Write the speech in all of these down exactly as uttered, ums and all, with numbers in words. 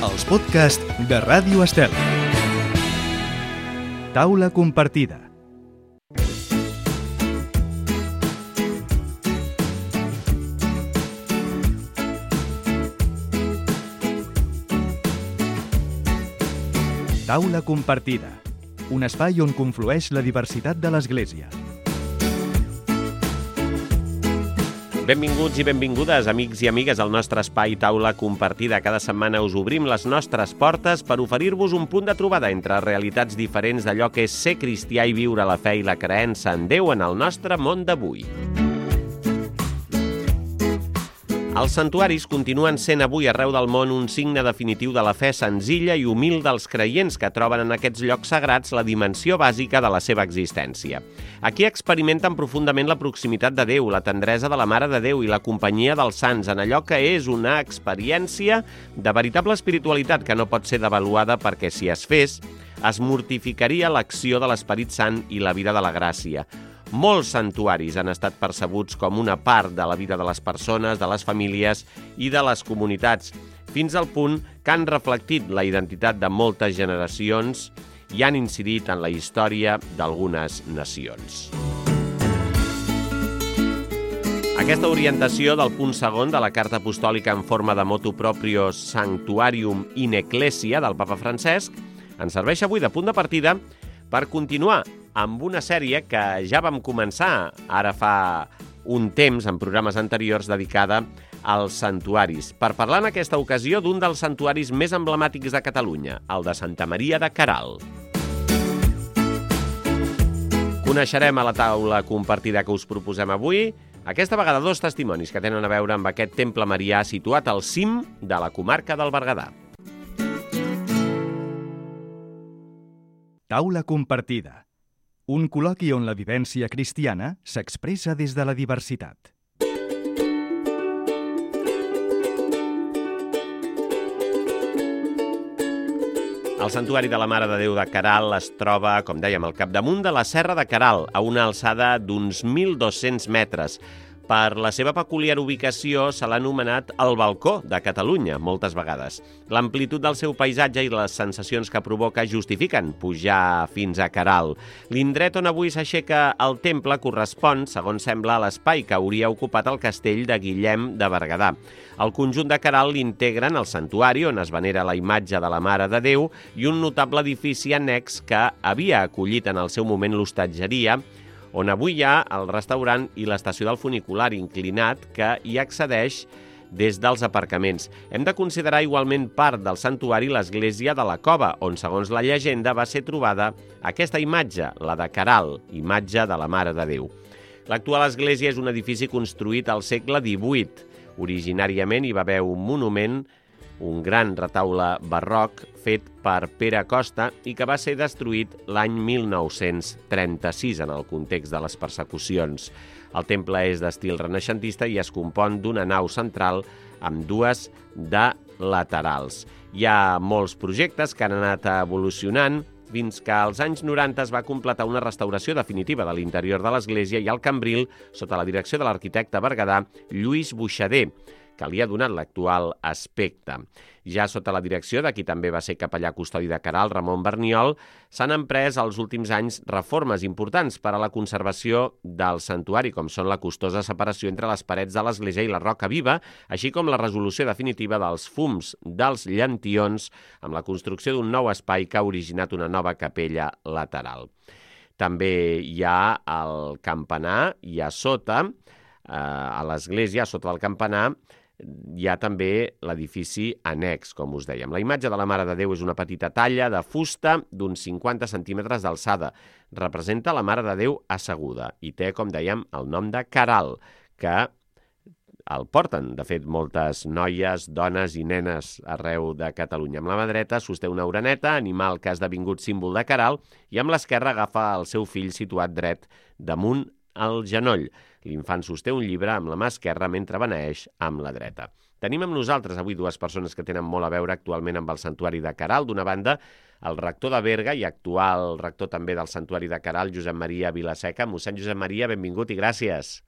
els podcasts de Ràdio Estel. Taula compartida. Taula compartida, un espai on conflueix la diversitat de l'Església. Benvinguts i benvingudes, amics i amigues, al nostre espai Taula Compartida. Cada setmana us obrim les nostres portes per oferir-vos un punt de trobada entre realitats diferents d'allò que és ser cristià i viure la fe i la creença en Déu en el nostre món d'avui. Els santuaris continuen sent avui arreu del món un signe definitiu de la fe senzilla i humil dels creients que troben en aquests llocs sagrats la dimensió bàsica de la seva existència. Aquí experimenten profundament la proximitat de Déu, la tendresa de la Mare de Déu i la companyia dels sants en allò que és una experiència de veritable espiritualitat que no pot ser devaluada perquè si es fes, es mortificaria l'acció de l'Esperit Sant i la vida de la gràcia. Molts santuaris han estat percebuts com una part de la vida de les persones, de les famílies i de les comunitats, fins al punt que han reflectit la identitat de moltes generacions i han incidit en la història d'algunes nacions. Aquesta orientació del punt segon de la Carta Apostòlica en forma de motu proprio Sanctuarium in Ecclesia del Papa Francesc ens serveix avui de punt de partida per continuar amb una sèrie que ja vam començar ara fa un temps en programes anteriors dedicada als santuaris, per parlar en aquesta ocasió d'un dels santuaris més emblemàtics de Catalunya, el de Santa Maria de Queralt. Coneixerem a la taula compartida que us proposem avui, aquesta vegada dos testimonis que tenen a veure amb aquest temple marià situat al cim de la comarca del Berguedà. Taula compartida. Un col·loqui on la vivència cristiana s'expressa des de la diversitat. El Santuari de la Mare de Déu de Queralt es troba, com dèiem, al capdamunt de la Serra de Queralt, a una alçada d'uns mil dos-cents metres. Per la seva peculiar ubicació se l'ha anomenat el balcó de Catalunya, moltes vegades. L'amplitud del seu paisatge i les sensacions que provoca justifiquen pujar fins a Queralt. L'indret on avui s'aixeca el temple correspon, segons sembla, a l'espai que hauria ocupat el castell de Guillem de Berguedà. El conjunt de Queralt l'integren el santuari, on es venera la imatge de la Mare de Déu, i un notable edifici annex que havia acollit en el seu moment l'hostatgeria, on avui hi ha el restaurant i l'estació del funicular inclinat que hi accedeix des dels aparcaments. Hem de considerar igualment part del santuari l'església de la Cova, on, segons la llegenda, va ser trobada aquesta imatge, la de Queralt, imatge de la Mare de Déu. L'actual església és un edifici construït al segle divuit. Originàriament hi va haver un monument, un gran retaule barroc fet per Pere Costa i que va ser destruït l'any mil nou-cents trenta-sis en el context de les persecucions. El temple és d'estil renaixentista i es compon d'una nau central amb dues de laterals. Hi ha molts projectes que han anat evolucionant fins que als anys noranta es va completar una restauració definitiva de l'interior de l'església i el cambril sota la direcció de l'arquitecte berguedà Lluís Buixader, que li ha donat l'actual aspecte. Ja sota la direcció de qui també va ser capellà custodi de Queralt, Ramon Berniol, s'han emprès als últims anys reformes importants per a la conservació del santuari, com són la costosa separació entre les parets de l'església i la roca viva, així com la resolució definitiva dels fums dels llantions amb la construcció d'un nou espai que ha originat una nova capella lateral. També hi ha el campanar i a sota, eh, a l'església, a sota del campanar, hi ha també l'edifici annex, com us dèiem. La imatge de la Mare de Déu és una petita talla de fusta d'uns cinquanta centímetres d'alçada. Representa la Mare de Déu asseguda i té, com dèiem, el nom de Queralt, que el porten, de fet, moltes noies, dones i nenes arreu de Catalunya. Amb la mà dreta sosté una oreneta, animal que ha esdevingut símbol de Queralt, i amb l'esquerra agafa el seu fill situat dret damunt el genoll. L'infant sosté un llibre amb la mà esquerra mentre beneeix amb la dreta. Tenim amb nosaltres avui dues persones que tenen molt a veure actualment amb el santuari de Queralt. D'una banda, el rector de Berga i actual rector també del santuari de Queralt, Josep Maria Vilaseca. Mossèn Josep Maria, benvingut i gràcies.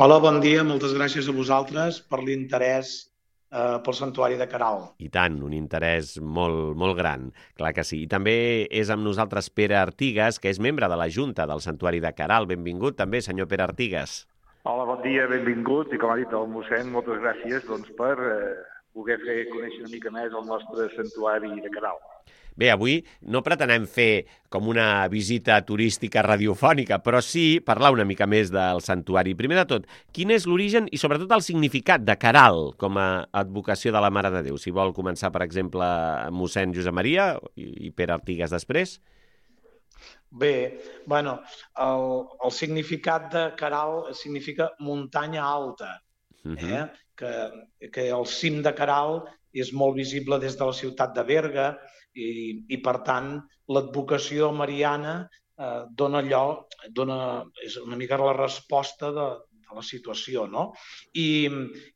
Hola, bon dia. Moltes gràcies a vosaltres per l'interès eh, pel santuari de Caral. I tant, un interès molt, molt gran, clar que sí. I també és amb nosaltres Pere Artigas, que és membre de la Junta del Santuari de Caral. Benvingut també, senyor Pere Artigas. Hola, bon dia, benvingut. I com ha dit el mossèn, moltes gràcies doncs, per eh, poder fer conèixer una mica més el nostre santuari de Caral. Bé, avui no pretenem fer com una visita turística radiofònica, però sí parlar una mica més del santuari. Primer de tot, quin és l'origen i sobretot el significat de Caral com a advocació de la Mare de Déu? Si vol començar, per exemple, mossèn Josep Maria i Pere Artigas després. Bé, bueno, el, el significat de Caral significa muntanya alta, eh? Uh-huh. que, que el cim de Caral és molt visible des de la ciutat de Berga i, i per tant, l'advocació mariana eh, dona allò, dona, és una mica la resposta de, de la situació, no? I,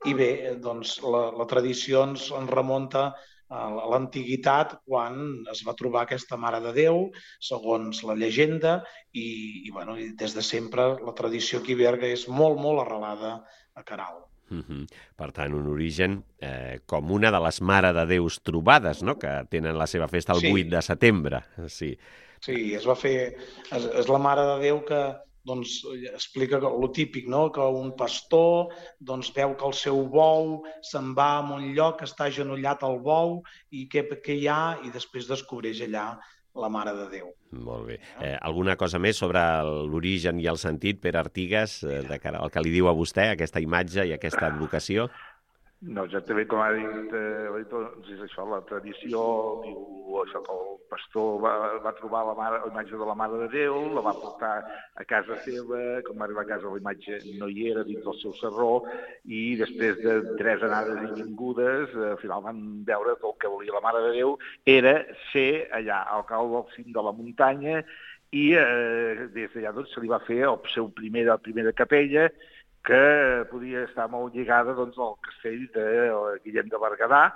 i bé, doncs la, la tradició ens, ens remunta a l'antiguitat, quan es va trobar aquesta Mare de Déu, segons la llegenda, i, i, bueno, i des de sempre la tradició aquí a Berga és molt, molt arrelada a Caral. Uh-huh. Per tant, un origen eh, com una de les Mare de Déus trobades, no?, que tenen la seva festa el sí. vuit de setembre. Sí, sí, es va fer... És, és la Mare de Déu que doncs, explica lo típic, no?, que un pastor doncs, veu que el seu bou se'n va a un lloc, està agenollat al bou, i què, què hi ha? I després descobreix allà la Mare de Déu. Molt bé. Eh, alguna cosa més sobre l'origen i el sentit, Pere Artigas, eh, de cara al que li diu a vostè, aquesta imatge i aquesta advocació? No, exactament com ha dit, eh, doncs és això, la tradició diu això, que el pastor va, va trobar la, mare, la imatge de la Mare de Déu, la va portar a casa seva, com va arribar a casa la imatge no hi era dins del seu sarró, i després de tres anades i vingudes, al final van veure que el que volia la Mare de Déu era ser allà, al cau del cim de la muntanya, i eh, des d'allà doncs, se li va fer el seu primer, la primera capella, que podia estar molt lligada doncs, al castell de Guillem de Berguedà.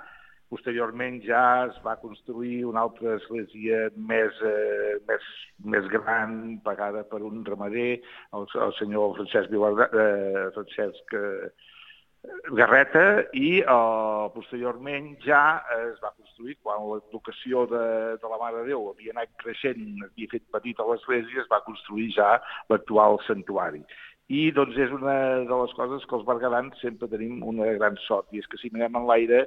Posteriorment ja es va construir una altra església més, eh, més, més gran, pagada per un ramader, el, el senyor Francesc, Vilar, eh, Francesc eh, Garreta, i eh, posteriorment ja es va construir, quan l'advocació de, de la Mare de Déu havia anat creixent, havia fet petita l'església, es va construir ja l'actual santuari. I doncs és una de les coses que els berguedans sempre tenim una gran sort, i és que si mirem en l'aire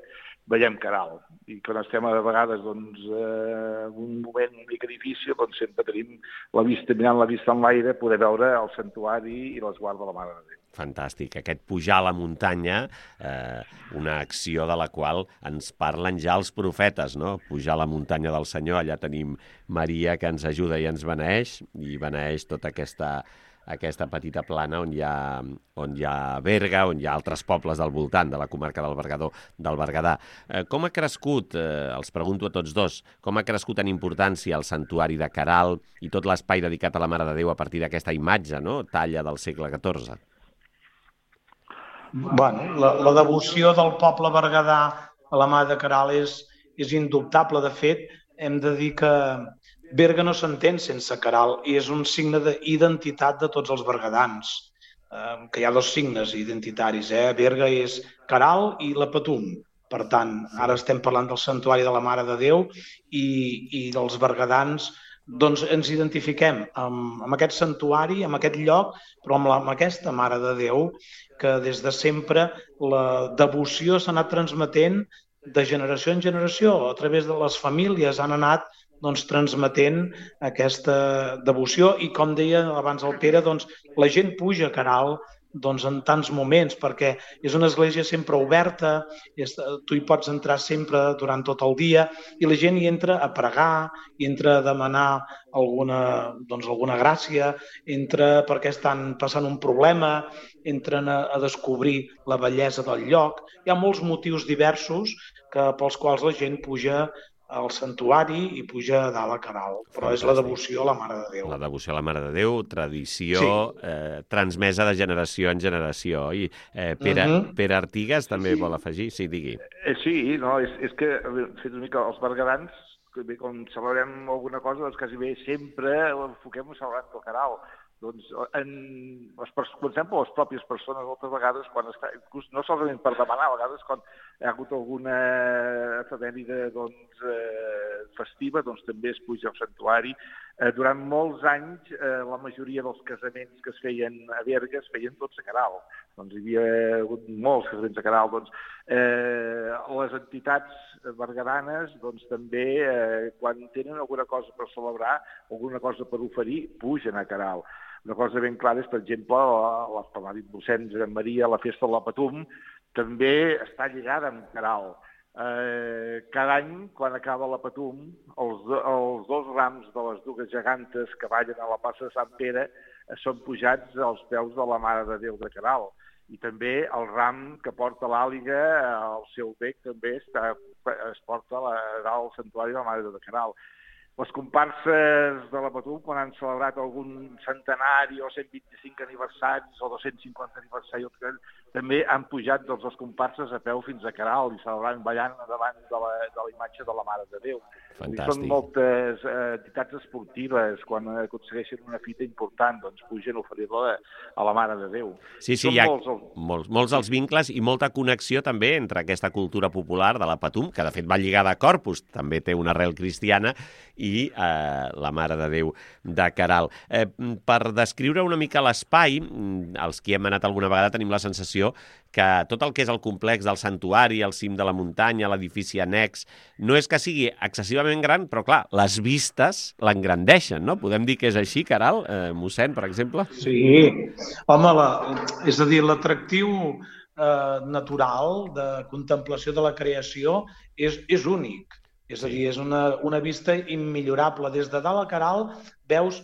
veiem Caral. I quan estem a vegades doncs, eh, un moment una mica difícil, doncs sempre tenim la vista, mirant la vista en l'aire, poder veure el santuari i l'esguard de la Mare de Déu. Fantàstic. Aquest pujar a la muntanya, eh, una acció de la qual ens parlen ja els profetes, no? Pujar a la muntanya del Senyor, allà tenim Maria que ens ajuda i ens beneeix, i beneeix tota aquesta... aquesta petita plana on hi ha, on hi ha Berga, on hi ha altres pobles del voltant de la comarca del Berguedà. Del Berguedà. Eh, com ha crescut, eh, els pregunto a tots dos, com ha crescut en importància el santuari de Caral i tot l'espai dedicat a la Mare de Déu a partir d'aquesta imatge, no?, talla del segle catorze? Bueno, la, la devoció del poble berguedà a la Mare de Caral és, és indubtable. De fet, hem de dir que Berga no s'entén sense Caral, i és un signe d'identitat de tots els berguedans, eh, que hi ha dos signes identitaris, eh? Berga és Caral i la Patum. Per tant, ara estem parlant del santuari de la Mare de Déu, i, i dels berguedans doncs ens identifiquem amb, amb aquest santuari, amb aquest lloc, però amb, la, amb aquesta Mare de Déu, que des de sempre la devoció s'ha anat transmetent de generació en generació. A través de les famílies han anat doncs, transmetent aquesta devoció, i com deia abans el Pere, doncs, la gent puja a Caral doncs, en tants moments, perquè és una església sempre oberta, és, tu hi pots entrar sempre durant tot el dia, i la gent hi entra a pregar, hi entra a demanar alguna, doncs, alguna gràcia, entra perquè estan passant un problema, entren a, a descobrir la bellesa del lloc. Hi ha molts motius diversos que, pels quals la gent puja al santuari i puja a dalt a Caral, però Fantàstic. És la devoció a la Mare de Déu. La devoció a la Mare de Déu, tradició sí. eh, transmesa de generació en generació. I eh, Pere, uh-huh. Pere Artigas també sí. vol afegir? Sí, digui. Eh, sí, no, és, és que fet una mica els berguedans, que bé, quan celebrem alguna cosa, doncs quasi bé sempre enfoquem celebrant el Caral. Doncs, en, les, per exemple, les pròpies persones moltes vegades, quan està, inclús no solament per demanar, a vegades quan hi ha hagut alguna efemèride doncs, eh, festiva, doncs també es puja al santuari. Eh, durant molts anys, eh, la majoria dels casaments que es feien a Berga es feien tots a Caral. Doncs hi havia hagut molts casaments a Caral. Doncs, eh, les entitats berguedanes doncs, també, eh, quan tenen alguna cosa per celebrar, alguna cosa per oferir, pugen a Caral. Una cosa ben clara és, per exemple, la, com ha dit mossèn Josep Maria, la festa de la Patum, també està lligada amb Caral. Eh, cada any, quan acaba la Patum, els, els dos rams de les dues gegantes que ballen a la plaça de Sant Pere eh, són pujats als peus de la Mare de Déu de Caral. I també el ram que porta l'àliga al seu bec també està, es porta a la, al santuari de la Mare de Déu de Caral. Les comparses de la Patum, quan han celebrat algun centenari o cent vint-i-cinc aniversaris o dos-cents cinquanta aniversaris, també han pujat doncs, les comparses a peu fins a Caral i celebrant ballant davant de la, de la imatge de la Mare de Déu. Fantàstic. Són moltes eh, entitats esportives, quan aconsegueixen una fita important, doncs pugen a oferir-la a la Mare de Déu. Sí, sí, Són hi ha molts, els... molts, molts els vincles i molta connexió també entre aquesta cultura popular de la Patum, que de fet va lligada a Corpus, també té una arrel cristiana, i eh, la Mare de Déu de Caral. Eh, per descriure una mica l'espai, els qui hem anat alguna vegada tenim la sensació que tot el que és el complex del santuari, el cim de la muntanya, l'edifici annex, no és que sigui excessivament gran, però clar, les vistes l'engrandeixen, no? Podem dir que és així, Caral, eh, mossèn, per exemple? Sí, home, la, és a dir, l'atractiu eh, natural de contemplació de la creació és, és únic. És a dir, és una, una vista immillorable. Des de dalt a Caral veus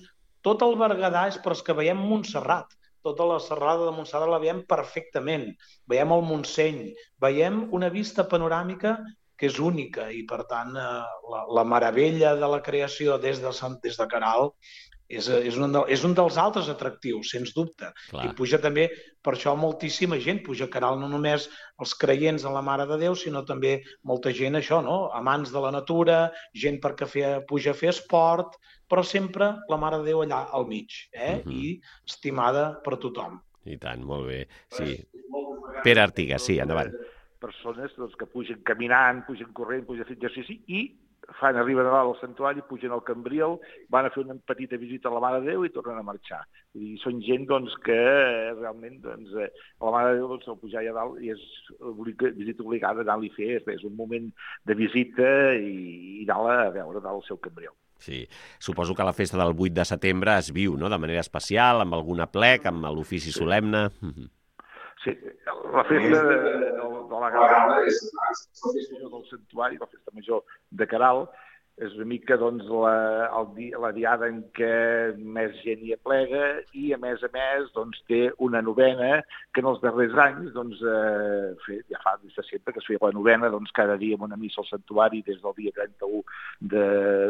tot el Berguedà, és però és que veiem Montserrat. Tota la serralada de Montserrat la veiem perfectament. Veiem el Montseny, veiem una vista panoràmica que és única i, per tant, la, la meravella de la creació des de, des de Caral és, és, un, de, és un dels altres atractius, sens dubte. Clar. I puja també, per això moltíssima gent puja a Caral, no només els creients en la Mare de Déu, sinó també molta gent, això, no? Amants de la natura, gent perquè fe, puja a fer esport, però sempre la Mare de Déu allà al mig, eh? Uh-huh. I estimada per tothom. I tant, molt bé. Sí. Pere Artigas, sí, endavant. Persones doncs, que pugen caminant, pugen corrent, pugen a fer exercici i fan, arriben a dalt al santuari, pugen al Cambril, van a fer una petita visita a la Mare de Déu i tornen a marxar. I són gent doncs, que realment doncs, a la Mare de Déu doncs, al pujar allà dalt i és visita obligada d'anar-li a fer, és un moment de visita i, i anar a veure dalt el seu Cambril. Sí, suposo que la festa del vuit de setembre es viu, no?, de manera especial, amb alguna plec, amb l'ofici sí. solemne. Sí, la festa de, de, de la Gala, la festa major del santuari, la festa major de Caral, és una mica doncs, la, el dia, la diada en què més gent hi aplega i, a més a més, doncs, té una novena que en els darrers anys, doncs, eh, fet, ja fa des de sempre que es feia la novena, doncs, cada dia amb una missa al santuari des del dia trenta-u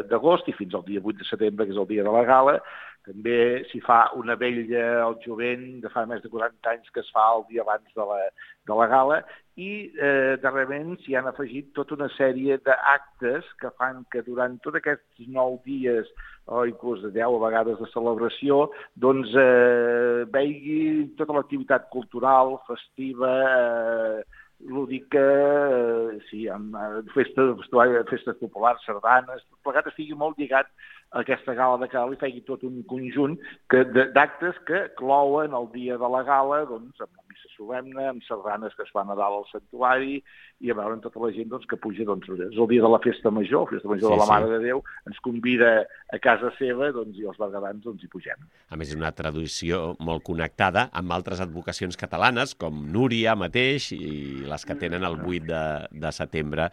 d'agost i fins al dia vuit de setembre, que és el dia de la Gala. També s'hi fa una vetlla al jovent de fa més de quaranta anys que es fa el dia abans de la, de la Gala i eh, darrerament s'hi han afegit tota una sèrie d'actes que fan que durant tots aquests nou dies o inclús de deu vegades de celebració doncs eh, veigui tota l'activitat cultural, festiva, eh, lúdica, eh, sí, amb festes, festes populars, sardanes, tot plegat estigui molt lligat a aquesta gala de Caral i feia tot un conjunt d'actes que clouen el dia de la gala doncs, amb la missa solemne, amb sardanes que es fan a dalt al santuari i a veure tota la gent doncs, que puja. Doncs, és el dia de la festa major, la festa major sí, de la Mare sí. de Déu, ens convida a casa seva doncs, i els berguedans doncs, hi pugem. A més, és una tradició molt connectada amb altres advocacions catalanes, com Núria mateix i les que tenen el vuit de setembre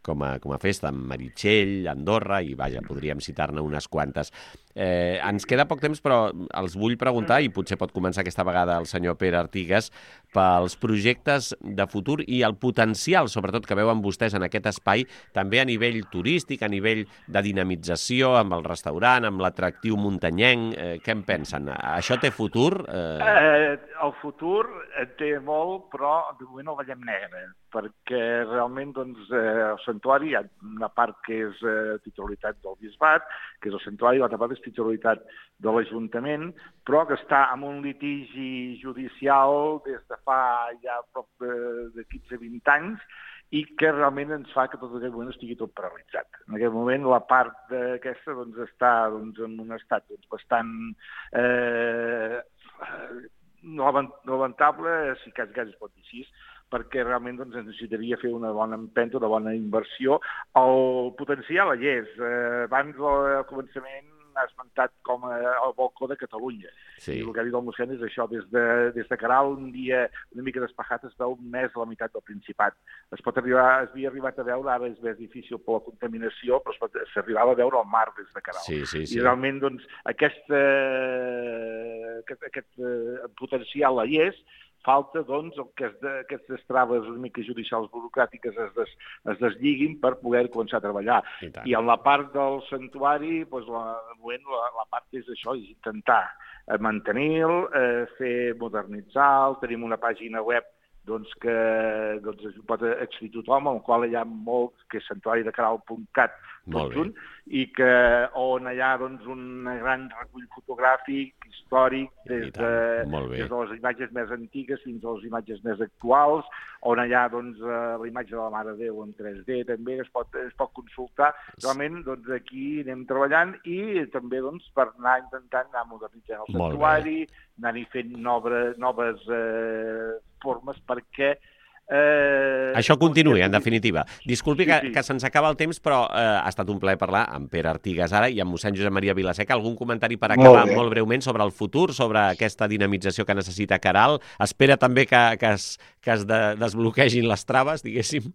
com a, com a festa, amb Meritxell, Andorra, i vaja, podríem citar-ne unes quantes. Eh, ens queda poc temps, però els vull preguntar, i potser pot començar aquesta vegada el senyor Pere Artigas, pels projectes de futur i el potencial, sobretot, que veuen vostès en aquest espai, també a nivell turístic, a nivell de dinamització, amb el restaurant, amb l'atractiu muntanyenc. Eh, què en pensen? Això té futur? Eh... Eh, el futur té molt, però de moment el veiem negre, perquè realment doncs, eh, el santuari hi ha una part que és eh, titularitat del bisbat, que és el santuari, l'altra part és titularitat de l'Ajuntament, però que està en un litigi judicial des de fa ja prop de, de quinze a vint anys i que realment ens fa que tot aquest moment estigui tot paralitzat. En aquest moment la part d'aquesta doncs, està doncs, en un estat doncs, bastant eh, no lamentable, si cas cas es pot dir així, perquè realment doncs, necessitaria fer una bona empenta, una bona inversió. El potencial hi és. Eh, abans, al començament, ha esmentat com a, el balcó de Catalunya. Sí. I el que ha dit el mossèn és això, des de, des de Caral, un dia una mica despejat, es veu més a la meitat del Principat. Es pot arribar, es havia arribat a veure, ara és més difícil per la contaminació, però s'arribava a veure el mar des de Caral. Sí, sí, sí. I realment, doncs, aquesta, aquest, aquest eh, potencial hi és. Falta, doncs, que es de, aquestes traves una mica judicials burocràtiques es, des, es deslligui per poder començar a treballar. I, I en la part del santuari, doncs, la, la, la part és això, és intentar mantenir-lo, eh, fer modernitzar-lo, tenim una pàgina web doncs, que doncs, es pot accedir tothom, en el qual hi ha molt, que és santuari de caral punt cat, tot junt, i que on hi ha doncs, un gran recull fotogràfic, històric, des de, des de les imatges més antigues fins a les imatges més actuals, on hi ha doncs, la imatge de la Mare de Déu en tres D, també es pot, es pot consultar. Realment, doncs, aquí anem treballant i també doncs, per anar intentant anar modernitzant el santuari, anar-hi fent noves, noves eh, formes perquè Eh, Això continuï, en definitiva. Disculpi sí, sí. que, que se'ns acaba el temps, però eh, ha estat un plaer parlar amb Pere Artigas ara i amb mossèn Josep Maria Vilaseca. Algun comentari per acabar molt, molt breument sobre el futur, sobre aquesta dinamització que necessita Caral? Espera també que, que es, que es de, desbloquegin les traves, diguéssim?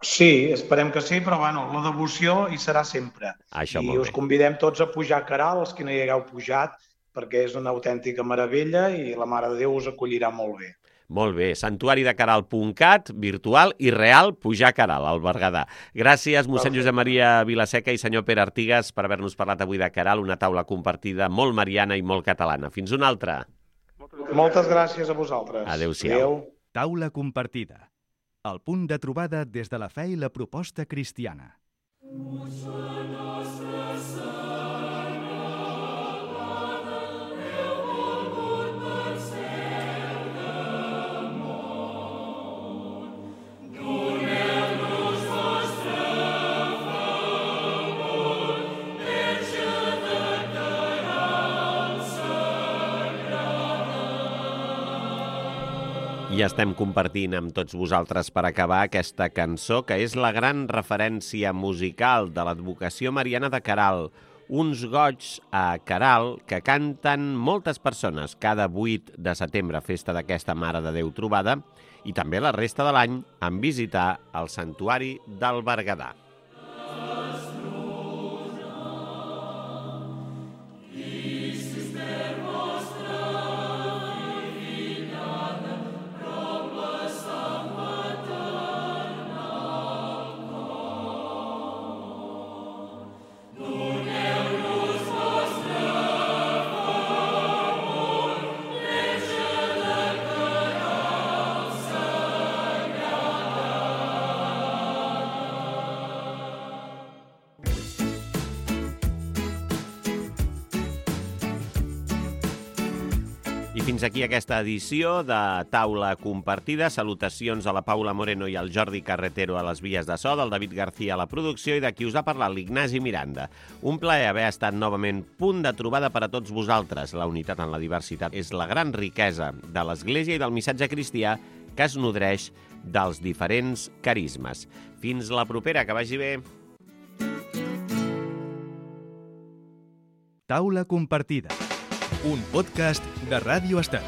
Sí, esperem que sí, però bueno, la devoció hi serà sempre. Això, I us convidem tots a pujar a Caral, els que no hi hagueu pujat, perquè és una autèntica meravella i la Mare de Déu us acollirà molt bé. Molt bé, santuari de caral punt cat, virtual i real, pujar a Caral, al Berguedà. Gràcies, mossèn Josep Maria Vilaseca i senyor Pere Artigas, per haver-nos parlat avui de Caral, una taula compartida molt mariana i molt catalana. Fins una altra. Moltes gràcies a vosaltres. Adéu-siau. Adéu. Taula compartida. El punt de trobada des de la fe i la proposta cristiana. I estem compartint amb tots vosaltres per acabar aquesta cançó, que és la gran referència musical de l'advocació mariana de Caral. Uns goigs a Caral que canten moltes persones cada vuit de setembre, festa d'aquesta Mare de Déu trobada, i també la resta de l'any en visitar el santuari del Berguedà. I fins aquí aquesta edició de Taula Compartida. Salutacions a la Paula Moreno i al Jordi Carretero a les vies de so, del David García a la producció i de qui us ha parlat, l'Ignasi Miranda. Un plaer haver estat novament punt de trobada per a tots vosaltres. La unitat en la diversitat és la gran riquesa de l'Església i del missatge cristià que es nodreix dels diferents carismes. Fins la propera, que vagi bé. Taula compartida. Un podcast de Ràdio Estat.